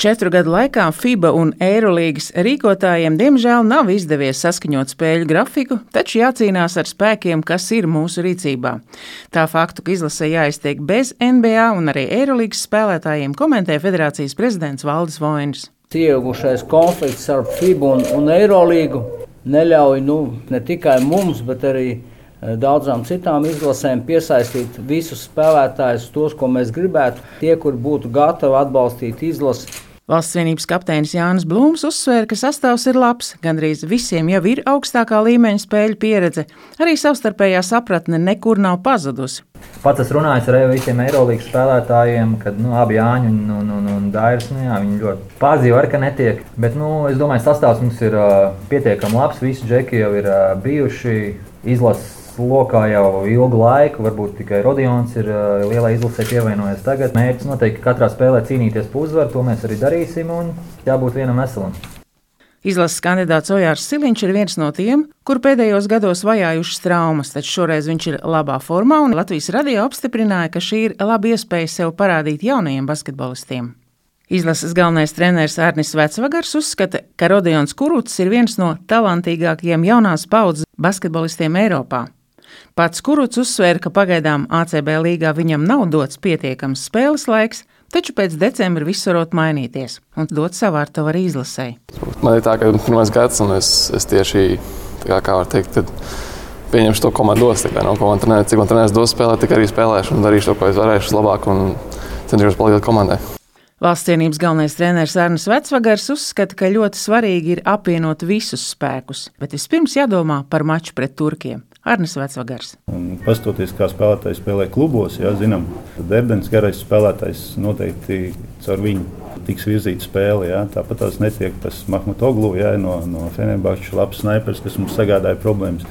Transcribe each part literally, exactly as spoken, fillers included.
Četru gadu laikā FIBA un Eirolīgas rīkotājiem diemžēl nav izdevies saskaņot spēļu grafiku, taču jācīnās ar spēkiem, kas ir mūsu rīcībā. Tā faktu, ka izlasē jāiztiek bez N B A un arī Eirolīgas spēlētājiem, komentē federācijas prezidents Valdis Voinis. Iegušais konflikts ar FIBA un, un Eirolīgu neļauj nu, ne tikai mums, bet arī daudzām citām izlasēm piesaistīt visus spēlētājus, tos, ko mēs gribētu, tie, kur būtu gatavi atbalstīt izlasi. Valsts vienības kapteinis Jānis Blūms uzsvēra, ka sastāvs ir labs, gandrīz visiem jau ir augstākā līmeņa spēļu pieredze, arī savstarpējā sapratne nekur nav pazudusi. Pats es runāju ar visiem Eirolīgas spēlētājiem, kad nu, abi Jāņi un, un, un, un Dairis, nu, jā, viņi ļoti pārdzīvo ar, ka netiek. Bet nu, es domāju, sastāvs mums ir uh, pietiekami labs, visi džeki jau ir uh, bijuši izlases lokā jau ilgu laiku, varbūt tikai Rodions ir uh, lielā izlasē pievienojies tagad. Mērķis noteikti katrā spēlē cīnīties par uzvaru, to mēs arī darīsim un jābūt vienam veselam. Izlases kandidāts Ojārs Siliņš ir viens no tiem, kur pēdējos gados vajājušas traumas, taču šoreiz viņš ir labā formā un Latvijas radio apstiprināja, ka šī ir laba iespēja sev parādīt jaunajiem basketbolistiem. Izlases galvenais treneris Arnis Vecvagars uzskata, ka Rodions Kurucs ir viens no talantīgākajiem jaunās paudzes basketbolistiem Eiropā. Pats Kurucs uzsvēra, ka pagaidām A C B līgā viņam nav dots pietiekams spēles laiks, taču pēc decembra viss varot mainīties un dot savu artavu arī izlasei. Man ir tā, ka pirmais gads, un es, es tieši, kā, kā var teikt, tad pieņemšu to komandos. Tā kā, no, ko man trenēs, cik man trenēs dos spēlēt, tik arī spēlēšu un darīšu to, ko es varēšu labāk un cenšos palīdzēt komandai. Valsts vienības galvenais treneris Arnis Vecvagars uzskata, ka ļoti svarīgi ir apvienot visus spēkus, bet vispirms jādomā par maču pret turkiem. Arnis Vecvagars. Pastoties, kā spēlētāji spēlē klubos, jā, zinām, tad Erdens garais spēlētājs noteikti caur viņu tiks virzīta spēle. Jā. Tāpat tās netiek tas Mahmutoglu, jā, no, no Fenerbahča labs snaipers, kas mums sagādāja problēmas.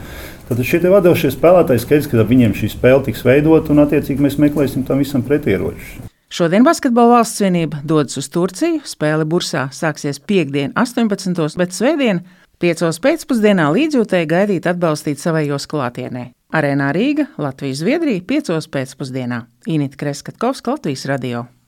Tad šie te vadošie spēlētāji skaidrs, ka viņiem šī spēle tiks veidot un attiecīgi mēs meklēsim tam visam pretieročus. Šodien Basketbola valsts vienība dodas uz Turciju, spēle Bursā sāksies piektdien astoņpadsmitos, bet svētdien piecos pēcpusdienā līdzjūtēji gaidīt atbalstīt savējos klātienē. Arēnā Rīga, Latvija Zviedrija, piecos pēcpusdienā. Inita Kreskatkovska, Latvijas radio.